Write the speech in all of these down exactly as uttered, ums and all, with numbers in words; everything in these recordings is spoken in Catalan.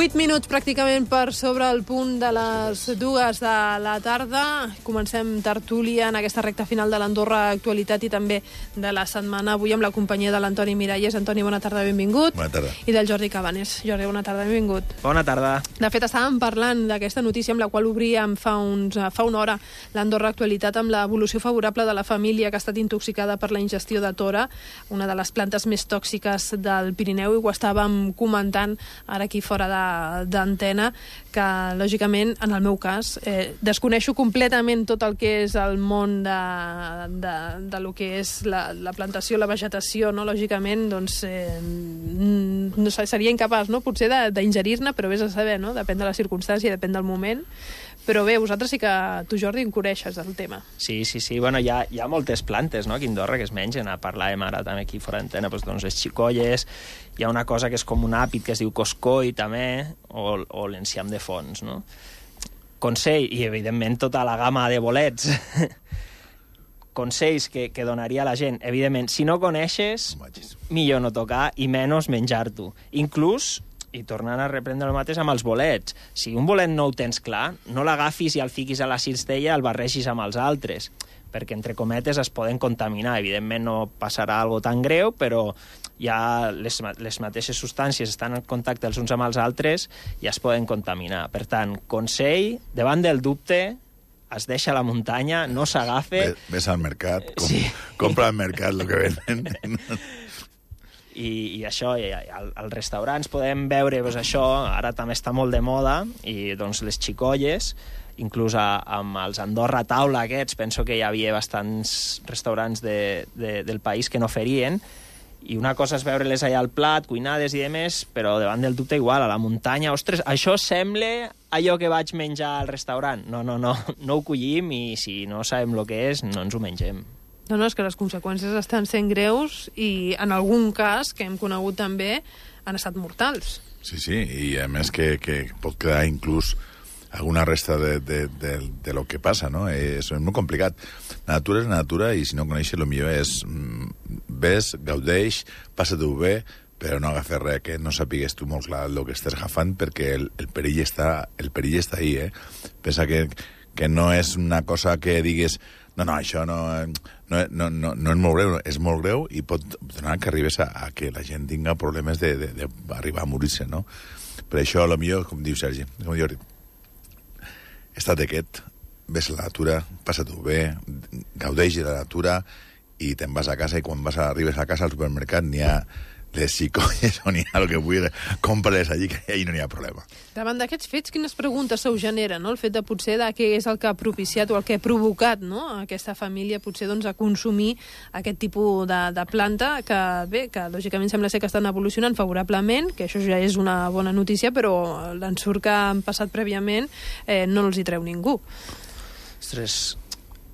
Vuit minuts pràcticament per sobre el punt de les dues de la tarda. Comencem tertúlia en aquesta recta final de l'Andorra Actualitat i també de la setmana. Avui amb la companyia de l'Antoni Miralles. Antoni, bona tarda, benvingut. Bona tarda. I del Jordi Cabanes. Jordi, bona tarda, benvingut. Bona tarda. De fet, estàvem parlant d'aquesta notícia amb la qual obríem fa, uns, fa una hora l'Andorra Actualitat amb l'evolució favorable de la família que ha estat intoxicada per la ingestió de tora, una de les plantes més tòxiques del Pirineu, i ho estàvem comentant ara aquí fora de d'antena, que lògicament en el meu cas eh, desconeixo completament tot el que és el món de, de, de lo que és la, la plantació, la vegetació, no? Lògicament doncs eh, no sé, seria incapaç, no? Potser d'ingerir-ne, però vés a saber, no? Depèn de la circumstància, depèn del moment. Però bé, vosaltres sí que tu, Jordi, en coneixes del tema. Sí, sí, sí. Bueno, hi ha, hi ha moltes plantes, no?, aquí a Andorra que es mengen. Parlàvem ara també aquí fora d'antena, doncs, doncs les xicolles, hi ha una cosa que és com un àpid que es diu coscoi també, o, o l'enciam de fons, no? Consell, i evidentment tota la gamma de bolets. Consells que, que donaria a la gent, evidentment, si no coneixes, millor no tocar i menys menjar-t'ho. Inclús, i tornant a reprendre el mateix amb els bolets. Si un bolet no ho tens clar, no l'agafis i el fiquis a la cistella i el barregis amb els altres, perquè, entre cometes, es poden contaminar. Evidentment no passarà alguna tan greu, però ja les, les mateixes substàncies estan en contacte els uns amb els altres i es poden contaminar. Per tant, consell, davant del dubte, es deixa a la muntanya, no s'agafa... Ves al mercat, com, sí. compra al mercat el que venen... I, i això, i al, als restaurants podem veure doncs, això, ara també està molt de moda, i doncs les xicolles, inclús a, amb els Andorra Taula aquests, penso que hi havia bastants restaurants de, de, del país que no ferien, i una cosa és veure-les allà al plat, cuinades i demés, però davant del dubte igual, a la muntanya, ostres, això sembla allò que vaig menjar al restaurant. No, no, no, no ho collim, i si no sabem el que és, no ens ho mengem. No, no, és que les conseqüències estan sent greus i en algun cas, que hem conegut també, han estat mortals. Sí, sí, i a més que, que pot quedar inclús alguna resta de, de, de, de lo que passa, no? És, és molt complicat. La natura és natura i si no coneixes, el millor és ves, gaudeix, passa-t'ho bé, però no agafes res que no sapigues tu molt clar el que estàs agafant, perquè el, el perill està el perill està ahí, eh? Pensa que, que no és una cosa que digues no, no, això no, no, no, no, no és molt greu, és molt greu i pot donar que arribes a, a que la gent tinga problemes d'arribar a morir-se, no? Per això, a lo millor, com diu Sergi, com diu Jordi, estat quiet, ves a la natura, passa-t'ho bé, gaudeix de la natura i te'n vas a casa, i quan vas a, arribes a casa al supermercat n'hi ha les xicolles o n'hi ha el que vull, compra-les allí, que allà no n'hi ha problema. Davant d'aquests fets, quines preguntes se us genera, no? El fet de potser de què és el que ha propiciat o el que ha provocat, no?, aquesta família potser doncs, a consumir aquest tipus de, de planta que, bé, que lògicament sembla ser que estan evolucionant favorablement, que això ja és una bona notícia, però l'ensurt que han passat prèviament eh, no els hi treu ningú. Ostres...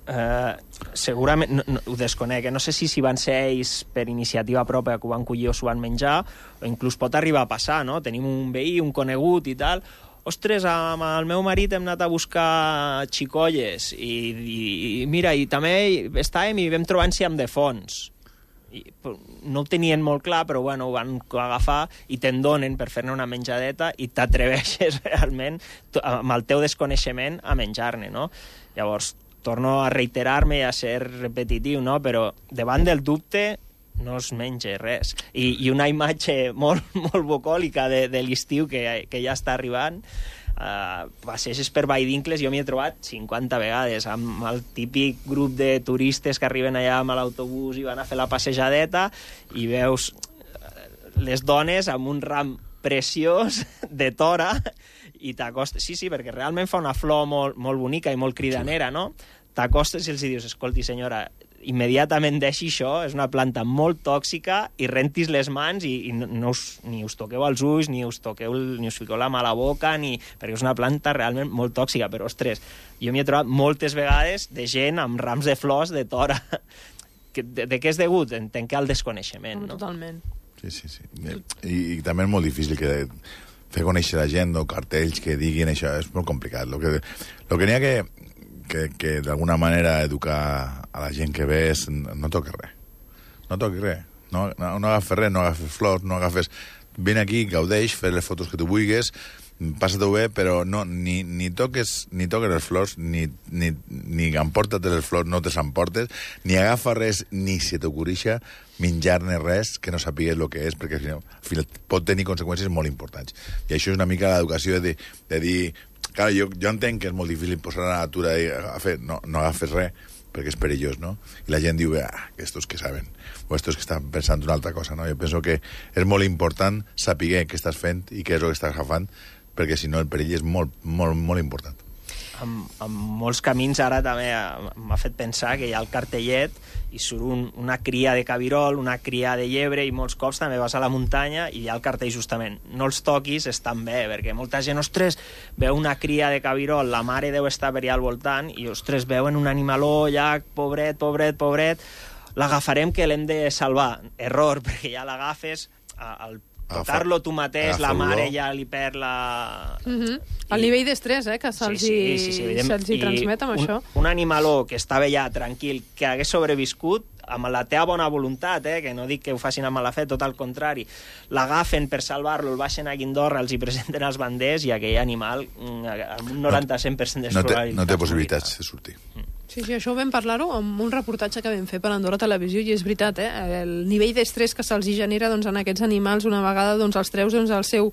Uh, segurament, no, no, ho desconec, no sé si, si van ser ells per iniciativa pròpia que ho van collir o s'ho van menjar, o inclús pot arribar a passar, no? Tenim un veí, un conegut i tal, ostres, amb el meu marit hem anat a buscar xicolles i, i, i mira, i també estàvem i vam trobar enciam de fons. I, no ho tenien molt clar, però bueno, ho van agafar i te'n donen per fer-ne una menjadeta i t'atreveixes realment, amb el teu desconeixement, a menjar-ne, no? Llavors, torno a reiterar-me i a ser repetitiu, no? Però davant del dubte no es menja res. I, i una imatge molt, molt bucòlica de, de l'estiu que, que ja està arribant, uh, passeges per Valldincles, jo m'hi he trobat cinquanta vegades, amb el típic grup de turistes que arriben allà amb l'autobús i van a fer la passejadeta, i veus les dones amb un ram preciós de tora, i t'acostes... Sí, sí, perquè realment fa una flor molt, molt bonica i molt cridanera, no? T'acostes i els dius, escolti, senyora, immediatament deixi això, és una planta molt tòxica, i rentis les mans i, i no us, ni us toqueu els ulls, ni us toqueu, ni us fiqueu la mà a la boca, ni, perquè és una planta realment molt tòxica. Però, ostres, jo m'hi he trobat moltes vegades de gent amb rams de flors de tora. De, de què és degut? Entenc que al desconeixement, no? Totalment. Sí, sí, sí. I, i també és molt difícil que fer conèixer la gent o cartells que diguin això, és molt complicat. Lo que, lo que n'hi ha que, que, que d'alguna manera educar a la gent que ve és no toques res. No toques res. No, no, no agafes res, no agafes flors, no agafes... Vine aquí, gaudeix, fes les fotos que tu vulguis, passa-t'ho bé, però no, ni, ni toques ni toques les flors, ni, ni, ni emporta't les flors, no te s'emportes, ni agafa res, ni se t'ocorrixa menjar-ne res que no sapigues el que és, perquè al final pot tenir conseqüències molt importants. I això és una mica l'educació de, de dir... Clar, jo, jo entenc que és molt difícil posar a la natura i a fer, no, no agafes res, perquè és perillós, no? I la gent diu, ah, estos que saben, o estos que estan pensant una altra cosa, no? Jo penso que és molt important saber què estàs fent i què és el que estàs agafant, perquè si no el perill és molt, molt, molt important. En, en molts camins ara també m'ha fet pensar que hi ha el cartellet i surt un, una cria de cabirol, una cria de llebre, i molts cops també vas a la muntanya i hi ha el cartell justament, no els toquis, estan bé, perquè molta gent, ostres, veu una cria de cabirol, la mare deu estar per allà al voltant i, ostres, veuen un animaló, ja, pobret, pobret, pobret, l'agafarem que l'hem de salvar. Error, perquè ja l'agafes, al tocar-lo tu mateix, la mare ja li perd la... Uh-huh. El nivell d'estrès, eh, que se'ls sí, sí, sí, sí, se hi transmet amb un, això. Un animaló que estava ja tranquil, que hagués sobreviscut, amb la teva bona voluntat, eh, que no dic que ho facin amb mala fe, tot al contrari, l'agafen per salvar-lo, el baixen a Guindorra, els hi presenten els banders i aquell animal, amb un noranta-cent per cent de no, probabilitats. No té possibilitats de sortir. Mm. Sí, sí, això ho vam parlar-ho amb un reportatge que vam fer per Andorra Televisió i és veritat, eh? El nivell d'estrès que se'ls genera doncs, en aquests animals una vegada doncs, els treus doncs, el seu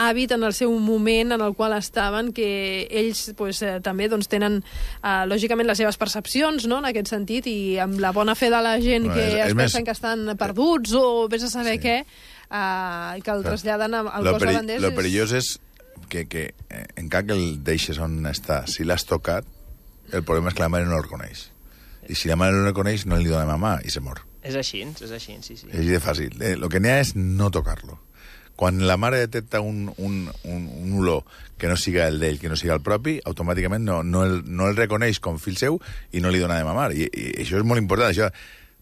hàbit, en el seu moment en el qual estaven, que ells pues, eh, també doncs, tenen eh, lògicament les seves percepcions, no?, en aquest sentit, i amb la bona fe de la gent no, que és, es és pensen més... que estan perduts o vés a saber sí. què, eh, que el traslladen al cos de banders. Lo perillós és que, que encara que el deixes on està, si l'has tocat, el problema és que la mare no el reconeix. I si la mare no el reconeix, no li dona mamà i se mor. És així, és així, sí, sí. És així de fàcil. Eh, lo que n'hi ha és no tocar-lo. Quan la mare detecta un, un, un, un olor que no siga el d'ell, que no siga el propi, automàticament no, no, el, no el reconeix com fill seu i no li dona de mamar. I, i això és molt important. Això,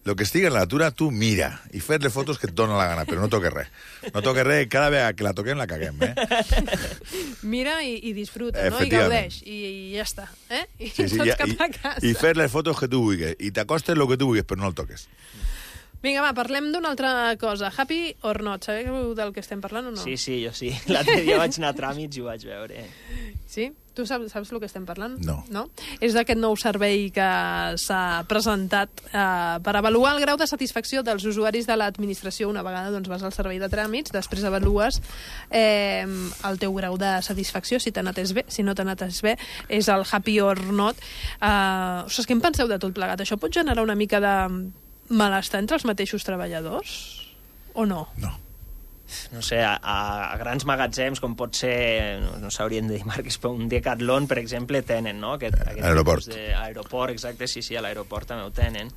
el que estigui en la natura, tu mira i fes-le fotos que et dona la gana, però no toques res. No toques res, cada vegada que la toquem la caguem, eh? Mira i, i disfruta, no? I gaudeix, i, i ja està, eh? I sí, sí, tots ja, cap i, a casa. I fes les fotos que tu vulguis, i t'acostes el que tu vulguis, però no el toques. Vinga, va, parlem d'una altra cosa. Happy or not? Sabeu del que estem parlant o no? Sí, sí, jo sí. L'altre dia vaig anar a tràmits i ho vaig veure. Sí? Tu saps, saps el que estem parlant? No. no? És d'aquest nou servei que s'ha presentat eh, per avaluar el grau de satisfacció dels usuaris de l'administració. Una vegada doncs, vas al servei de tràmits, després avalues eh, el teu grau de satisfacció, si t'ha anat bé, si no t'ha anat bé, és el happy or not. Eh, ostres, què en penseu de tot plegat? Això pot generar una mica de malestar entre els mateixos treballadors? O no? No. No sé, a, a grans magatzems, com pot ser, no, no s'haurien de dir marques, però un Decathlon, per exemple, tenen, no? Aquest, aquest aeroport. De, aeroport, exacte, sí, sí, a l'aeroport també ho tenen.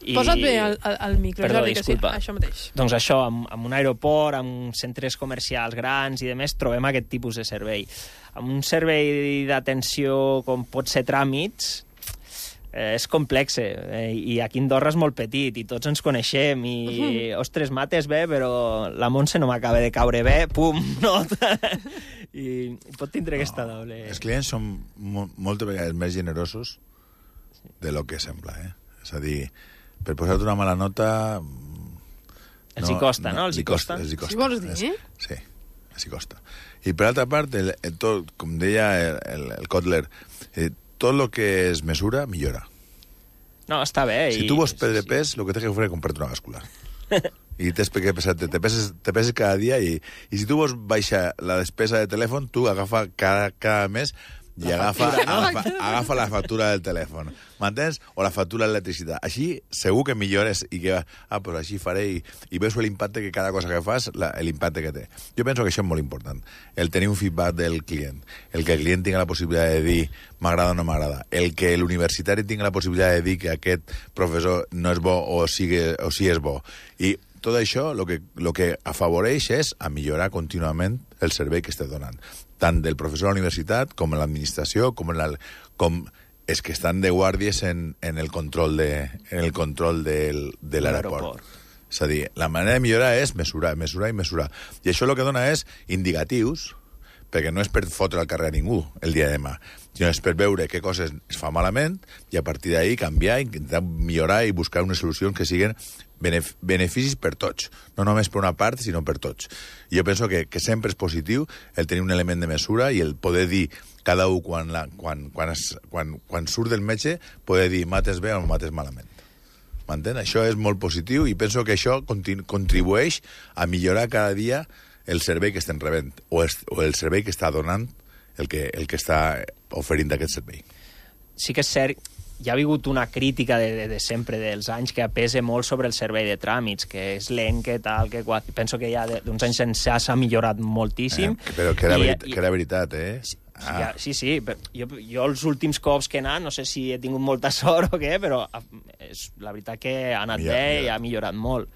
I... Posa't bé el, el, el micro, Perdó, Jordi, disculpa. Que sí, això mateix. Doncs això, amb, amb un aeroport, amb centres comercials grans i demés, trobem aquest tipus de servei. Amb un servei d'atenció com pot ser tràmits, Eh, és complex, eh, i aquí Andorra és molt petit, i tots ens coneixem, i, uh-huh. ostres, mates bé, però la Montse no m'acaba de caure bé, pum, nota. I pot tindre no, aquesta doble... Els clients són mo moltes vegades més generosos de lo que sembla, eh? És a dir, per posar-te una mala nota... Els no, hi costa, no? no? Els hi costa? Els hi costa. Si vols dir, eh? Sí, els hi costa. I per altra part, el, el tot, com deia el, el, el Kotler, eh, tot el que es mesura, millora. No, està bé. Si i... tu vols perdre sí, pes, el que tens que fer és comprar-te una bàscula. I tens que pesar, te, te, peses, te peses cada dia i, i si tu vols baixar la despesa de telèfon, tu agafa cada, cada mes i agafa, factura, no? agafa, agafa la factura del telèfon. M'entens? O la factura d'electricitat. Així segur que millores i que, ah, pues així faré i, i veus l'impacte que cada cosa que fas, l'impacte que té. Jo penso que això és molt important. El tenir un feedback del client. El que el client tingui la possibilitat de dir m'agrada o no m'agrada. El que l'universitari tingui la possibilitat de dir que aquest professor no és bo o, sigui, o sí és bo. I tot això el que, lo que afavoreix és a millorar contínuament el servei que estàs donant. Tant del professor a la universitat, com en l'administració, com en la, com els que estan de guàrdies en, en el control de, en el control del, de l'aeroport. És a dir, la manera de millorar és mesurar, mesurar i mesurar. I això el que dona és indicatius perquè no és per fotre al carrer a ningú el dia de demà, sinó és per veure què coses es fa malament i a partir d'ahí canviar, intentar millorar i buscar unes solucions que siguin benef beneficis per tots, no només per una part, sinó per tots. I jo penso que, que sempre és positiu el tenir un element de mesura i el poder dir cada un quan, la, quan, quan, es, quan, quan surt del metge, poder dir mates bé o mates malament. M'entén? Això és molt positiu i penso que això contribueix a millorar cada dia el servei que estem rebent o, es, o el servei que està donant el que, el que està oferint aquest servei. Sí que és cert, hi ha hagut una crítica de, de, de sempre, dels anys, que pesa molt sobre el servei de tràmits, que és lent, que tal, que qual... Penso que ja d'uns anys ençà s'ha millorat moltíssim. Eh, però que era, I, verit, i, que era veritat, eh? Sí, ah. sí, sí. Jo, jo els últims cops que he anat, no sé si he tingut molta sort o què, però és la veritat que ha anat ja, bé ja. i ha millorat molt.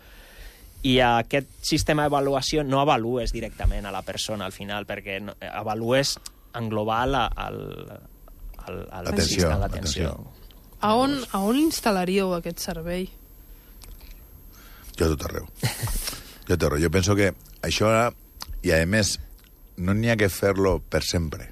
I aquest sistema d'avaluació no avalues directament a la persona al final, perquè no, avalues en global al, al, al l'atenció. l'atenció. A on, a on instal·laríeu aquest servei? Jo a tot arreu. Jo a tot arreu. Jo penso que això, i a més, no n'hi ha que fer-lo per sempre.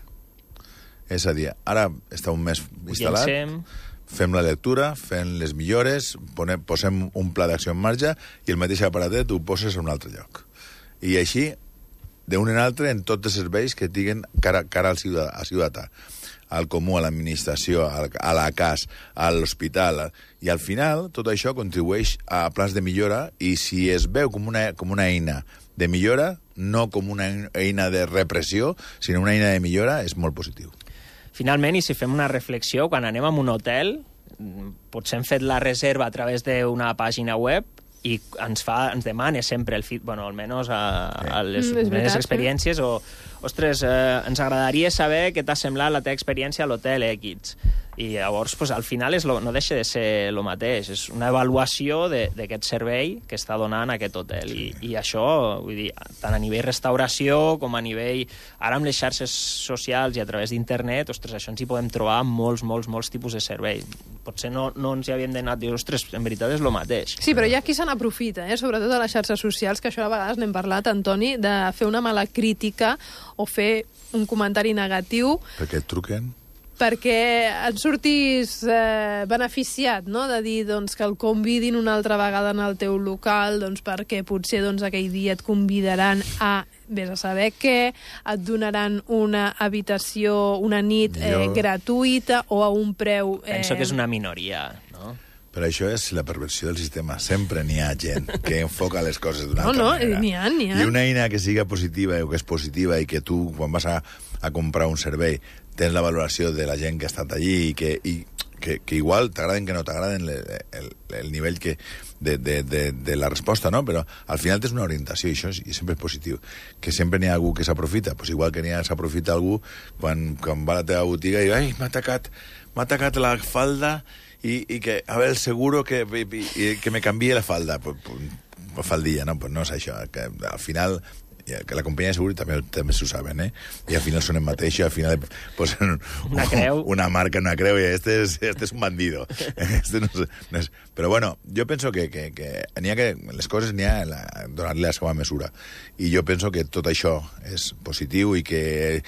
És a dir, ara està un mes instal·lat, Llencem. fem la lectura, fem les millores, ponem, posem un pla d'acció en marxa i el mateix aparatet ho poses a un altre lloc. I així, d'un en altre, en tots els serveis que tinguin cara, cara al ciutadà, al ciutadà, al comú, a l'administració, a la C A S, a l'hospital. I al final, tot això contribueix a plans de millora i si es veu com una, com una eina de millora, no com una eina de repressió, sinó una eina de millora, és molt positiu. Finalment, i si fem una reflexió, quan anem a un hotel, potser hem fet la reserva a través d'una pàgina web i ens fa, ens demana sempre el feed, bueno, almenys a, a les mm, meves experiències, o, ostres, eh, ens agradaria saber què t'ha semblat la teva experiència a l'hotel X. I llavors, pues, al final, és lo, no deixa de ser el mateix. És una avaluació d'aquest servei que està donant aquest hotel. I, i això, vull dir, tant a nivell restauració com a nivell... Ara amb les xarxes socials i a través d'internet, ostres, això ens hi podem trobar molts, molts, molts tipus de servei. Potser no, no ens hi havíem d'anar a dir, ostres, en veritat és el mateix. Sí, però hi ha qui se n'aprofita, eh? Sobretot a les xarxes socials, que això a vegades n'hem parlat, Antoni, de fer una mala crítica o fer un comentari negatiu. Perquè et truquen? Perquè et surtis eh, beneficiat, no?, de dir doncs, que el convidin una altra vegada en el teu local, doncs, perquè potser doncs, aquell dia et convidaran a, vés a saber què, et donaran una habitació, una nit eh, jo... gratuïta o a un preu... Eh... Penso que és una minoria, no? Però això és la perversió del sistema. Sempre n'hi ha gent que enfoca les coses d'una no, altra no, manera. n'hi ha, n'hi ha. I una eina que siga positiva o que és positiva i que tu, quan vas a, a comprar un servei, tens la valoració de la gent que ha estat allí i que, i, que, que igual t'agraden que no t'agraden el, el, el nivell que, de, de, de, de la resposta, no? Però al final tens una orientació i això és, i sempre és positiu. Que sempre n'hi ha algú que s'aprofita, pues igual que n'hi ha s'aprofita algú quan, quan va a la teva botiga i ai, m'ha atacat, m'ha atacat la falda i, i que, a veure, el seguro que, i, i, que me canvie la falda. Pues, pues, faldilla, no? Pues no és això. Que al final... que la companyia de seguro també, també s'ho saben, eh? I al final són el mateix i al final posen una creu. Una marca, una creu, i este és, este és un bandido. Este no és, no és... Però bueno, jo penso que, que, que, n'hi ha que les coses n'hi ha la, donar-li la seva mesura. I jo penso que tot això és positiu i que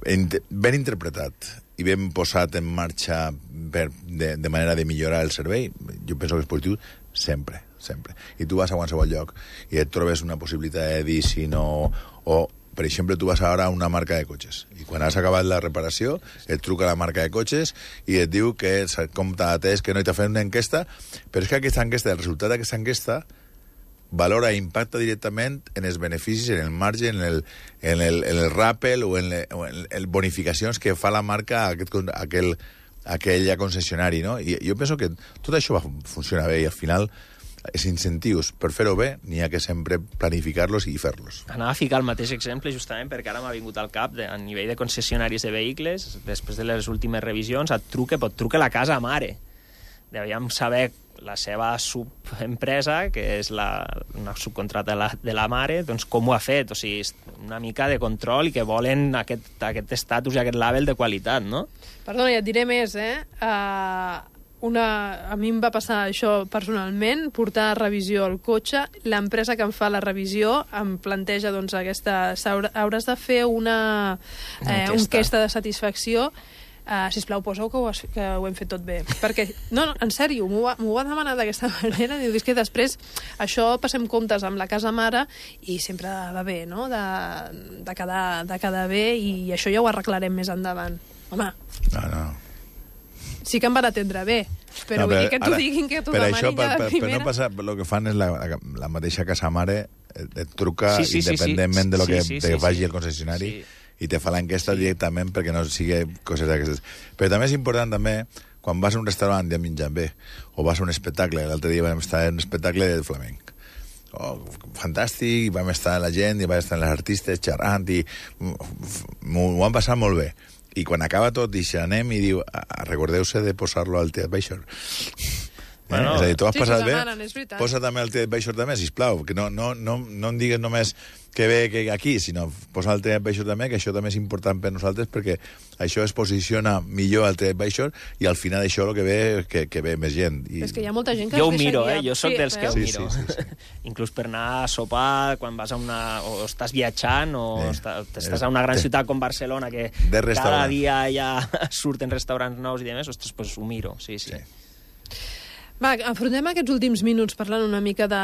ben interpretat i ben posat en marxa per, de, de manera de millorar el servei, jo penso que és positiu sempre, sempre. I tu vas a qualsevol lloc i et trobes una possibilitat de dir si no... O, per exemple, tu vas ara a una marca de cotxes i quan has acabat la reparació et truca la marca de cotxes i et diu que com t'ha atès, que no t'ha fet una enquesta, però és que aquesta enquesta, el resultat d'aquesta enquesta valora i impacta directament en els beneficis, en el marge, en el, en el, en el rappel o en, le, o en el bonificacions que fa la marca a aquest, a aquell, a aquella concessionari, no? I jo penso que tot això va funcionar bé i al final els incentius per fer-ho bé n'hi ha que sempre planificar-los i fer-los. Anava a ficar el mateix exemple justament perquè ara m'ha vingut al cap de, a nivell de concessionaris de vehicles, després de les últimes revisions, et truca, pot trucar la casa mare. Devíem saber la seva subempresa, que és la, una subcontrata de la, de la mare, doncs com ho ha fet, o sigui, una mica de control i que volen aquest, aquest estatus i aquest label de qualitat, no? Perdona, ja et diré més, eh? Uh, Una, a mi em va passar això personalment, portar a revisió el cotxe, l'empresa que em fa la revisió em planteja, doncs, aquesta, hauràs de fer una, eh, una enquesta de satisfacció, uh, sisplau, posa-ho que, ho has, que ho hem fet tot bé. Perquè, no, no, en sèrio, m'ho va, va demanar d'aquesta manera, diu, és que després això passem comptes amb la casa mare i sempre va bé, no?, de, de, quedar, de quedar bé, i això ja ho arreglarem més endavant. Home, no, no. Sí que em van atendre bé, però, no, però vull dir que t'ho diguin, que t'ho demanin això, per, ja de per, primera... Per no passar, el que fan és la, la mateixa casa mare et truca sí, sí, independentment sí, sí. de lo que sí, sí, te sí, faci sí. el concessionari, sí. I te fa l'enquesta sí. directament perquè no sigui coses d'aquestes. Però també és important, també, quan vas a un restaurant i ja menjant bé, o vas a un espectacle, l'altre dia vam estar en un espectacle de flamenc, oh, fantàstic, i vam estar la gent, i vam estar les artistes xerrant, i m'ho han passat molt bé. I quan acaba tot, i anem i diu, recordeu-se de posar-lo al Teat Baixor. Bueno, eh? És a dir, tu has sí, passat bé, demanen, posa també el Teat Baixor també, sisplau, que no, no, no, no em digues només que ve que aquí, sinó posa el Teat Baixor també, que això també és important per nosaltres, perquè això es posiciona millor al Teat Baixor, i al final això el que ve que, que ve més gent. I... És que hi ha molta gent que jo ho miro, eh? Jo soc sí, dels que ho sí, miro. Sí, sí, sí. Inclús per anar a sopar, quan vas a una... o estàs viatjant, o eh, estàs a una gran ciutat com Barcelona, que cada dia ja surten restaurants nous i demés, ostres, pues ho miro, sí, sí. sí. Va, afrontem aquests últims minuts parlant una mica de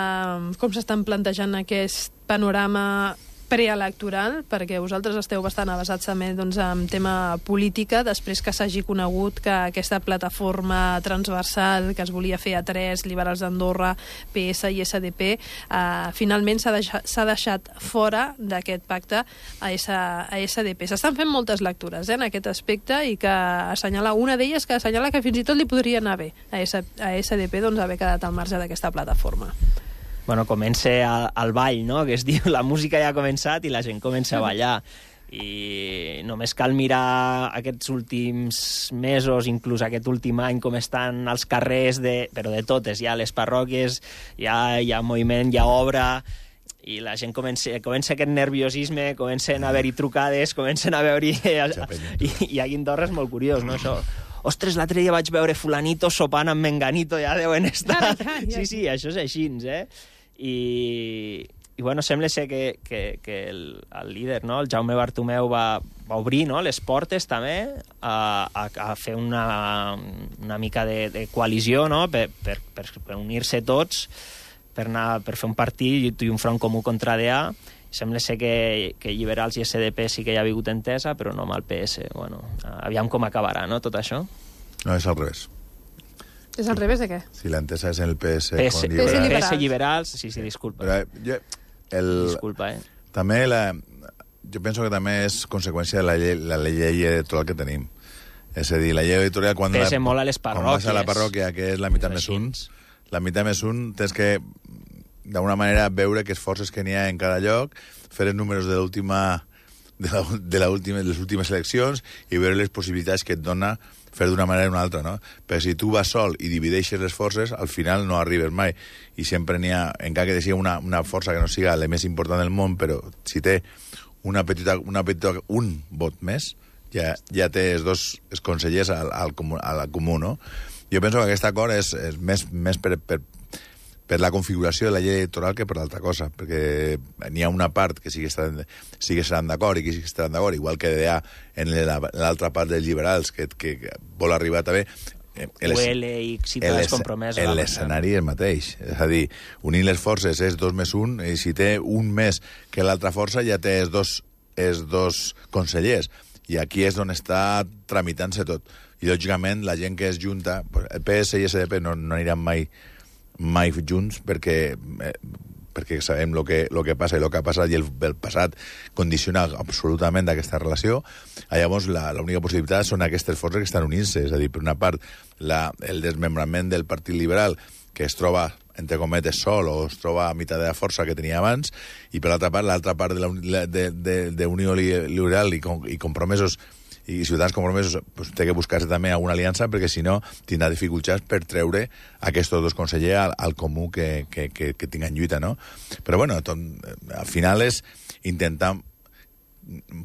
com s'estan plantejant aquest panorama preelectoral, perquè vosaltres esteu bastant avasats també, doncs, en tema política, després que s'hagi conegut que aquesta plataforma transversal que es volia fer a tres, Liberals d'Andorra, P S i S D P, eh, finalment s'ha deixat, s'ha deixat fora d'aquest pacte a, S, a S D P. S'estan fent moltes lectures eh, en aquest aspecte, i que assenyala, una d'elles que assenyala que fins i tot li podria anar bé a, S, a S D P doncs, haver quedat al marge d'aquesta plataforma. Bueno, comença el, el ball, no?, que es diu, la música ja ha començat i la gent comença a ballar. I només cal mirar aquests últims mesos, inclús aquest últim any, com estan els carrers, de, però de totes, ja les parròquies, ja hi ha moviment, hi ha obra, i la gent comença, comença aquest nerviosisme, comencen a haver-hi trucades, comencen a veure-hi... I, i a Guindorra és molt curiós, no?, això... Ostres, l'altre dia vaig veure fulanito sopant amb menganito, ja deuen estar... Sí, sí, això és així, eh? I, i bueno, sembla ser que, que, que el, el líder, no?, el Jaume Bartomeu, va, va obrir, no?, les portes també a, a, a fer una, una mica de, de coalició, no?, per, per, per, per unir-se tots, per, anar, per fer un partit i un front comú contra D A. Sembla ser que, que Liberals i S D P sí que hi ha hagut entesa, però no amb el P S. Bueno, aviam com acabarà, no?, tot això. No, és al revés. És al revés de què? Si l'entesa és en el P S... P S, con P S liberals. P S Liberals, sí, sí, disculpa. Però, jo, el, disculpa, eh? També la, jo penso que també és conseqüència de la llei, la llei editorial que tenim. És a dir, la llei editorial... Quan Pesa la, molt a les parròquies. Quan vas a la parròquia, que és la meitat més un, la meitat més un, tens que, d'alguna manera, veure que esforces que n'hi ha en cada lloc, fer els números de l'última... de, la, de, la última, de les últimes eleccions i veure les possibilitats que et dona fer d'una manera o una altra, no? Perquè si tu vas sol i divideixes les forces, al final no arribes mai. I sempre n'hi ha, encara que sigui una, una força que no siga la més important del món, però si té una petita, una petita, un vot més, ja, ja té els dos els consellers al, al, comú, al comú, no? Jo penso que aquest acord és, és més, més per, per, per la configuració de la llei electoral que per l'altra cosa, perquè n'hi ha una part que sí que estaran, sí que estaran d'acord i que sí que estaran d'acord, igual que hi ha en l'altra part dels liberals que, que, que vol arribar també... U L i Ciutadans Compromesos. L'escenari és el mateix. És a dir, unir les forces és dos més un, i si té un més que l'altra força ja té els dos, els dos consellers. I aquí és on està tramitant-se tot. I, lògicament, la gent que es junta... El P S i S D P no, no aniran mai mai junts perquè, eh, perquè sabem el que, lo que passa i el que ha passat i el, el passat condiciona absolutament aquesta relació. Llavors, l'única possibilitat són aquestes forces que estan unint-se. És a dir, per una part, la, el desmembrament del Partit Liberal, que es troba, entre cometes, sol o es troba a meitat de la força que tenia abans, i per l'altra part, l'altra part d'Unió Liberal i, i Compromesos i Ciutadans Compromesos, pues, té que buscar-se també alguna aliança, perquè si no tindrà dificultats per treure aquests dos consellers al, al comú que, que, que, que tinguen lluita, no? Però bueno, tot, al final és intentar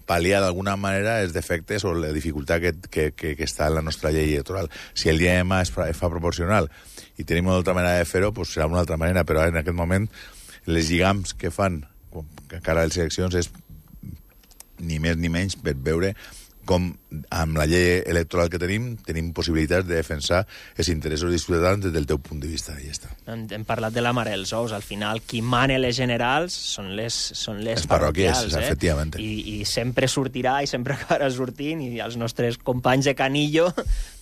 pal·liar d'alguna manera els defectes o la dificultat que, que, que, que està en la nostra llei electoral. Si el dia de demà es fa, es fa proporcional i tenim una altra manera de fer-ho, pues serà una altra manera, però en aquest moment les lligams que fan que cara a les eleccions és ni més ni menys per veure com amb la llei electoral que tenim tenim possibilitats de defensar els interessos dels ciutadans des del teu punt de vista. I ja està. Hem, hem parlat de la mare dels ous. Al final, qui mana les generals són les, són les, les parroquials, eh? efectivament. I, I sempre sortirà i sempre acabarà sortint, i els nostres companys de Canillo,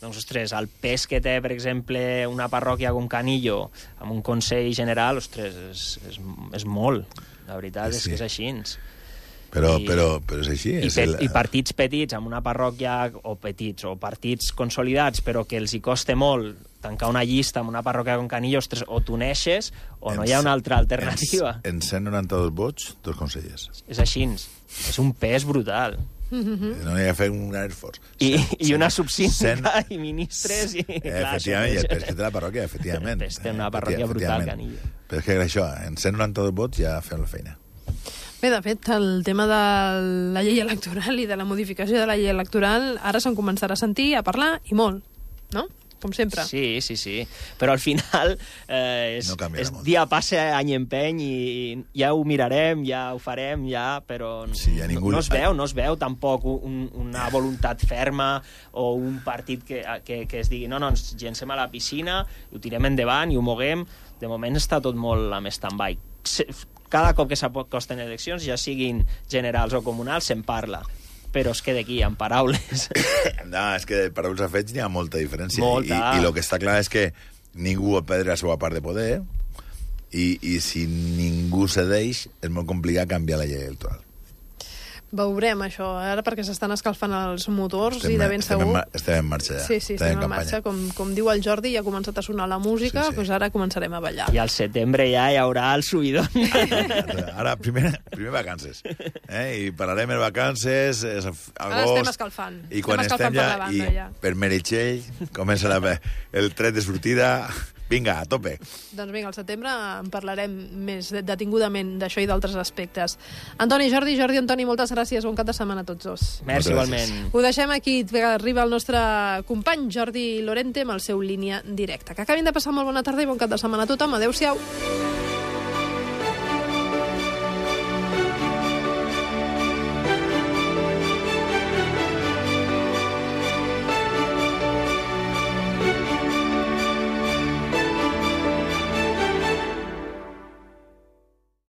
doncs, ostres, el pes que té, per exemple, una parròquia com Canillo amb un Consell General, ostres, és, és, és molt. La veritat sí, és sí. que és així. Però, I, però, però és així. I, és pe el... I partits petits, amb una parròquia, o petits, o partits consolidats, però que els hi costa molt tancar una llista amb una parròquia com Canillo, ostres, o t'uneixes o no hi ha una altra alternativa. En, en cent noranta-dos vots, dos consellers. És així. És un pes brutal. Mm-hmm. No hi ha fet un gran esforç. I, i una subsíndica i ministres. I, efectivament, i el pes que té la parròquia, efectivament. El pes té una parròquia brutal, Canillo. Però és que això, en cent noranta-dos vots ja fem la feina. Bé, de fet, el tema de la llei electoral i de la modificació de la llei electoral ara se'n començarà a sentir, a parlar, i molt, no? Com sempre. Sí, sí, sí. Però al final eh, és, no és dia passa, any empeny, i ja ho mirarem, ja ho farem, ja, però sí, ja ningú... no, no es veu, no es veu tampoc un, una voluntat ferma o un partit que, que, que es digui no, no, ens llencem a la piscina, ho tirem endavant i ho moguem. De moment està tot molt amb stand-by. Cada cop que s'acosten eleccions, ja siguin generals o comunals, se'n parla. Però es queda aquí, en paraules. No, és que de paraules a fets n'hi ha molta diferència. Molta. I, i el que està clar és que ningú vol perdre la seva part de poder, i, i si ningú cedeix, és molt complicat canviar la llei electoral. Veurem això, ara perquè s'estan escalfant els motors estem, i de ben estem segur... En, estem en marxa ja. Sí, sí, estem, estem en, en marxa. Com, com diu el Jordi, ja ha començat a sonar la música, sí, sí. Doncs ara començarem a ballar. I al setembre ja hi haurà el subidón. Ara, primer, primer vacances. Eh? I parlarem de vacances, agost... Ara estem escalfant. I quan estem, estem ja, banda, i ja. Per Meritxell comença la, el tret de sortida... Vinga, a tope. Doncs vinga, al setembre en parlarem més detingudament d'això i d'altres aspectes. Antoni, Jordi, Jordi, Antoni, moltes gràcies. Bon cap de setmana a tots dos. Merci, igualment. Ho deixem aquí. Arriba el nostre company Jordi Lorente amb el seu Línia Directa. Que acabin de passar molt bona tarda i bon cap de setmana a tothom. Adéu-siau.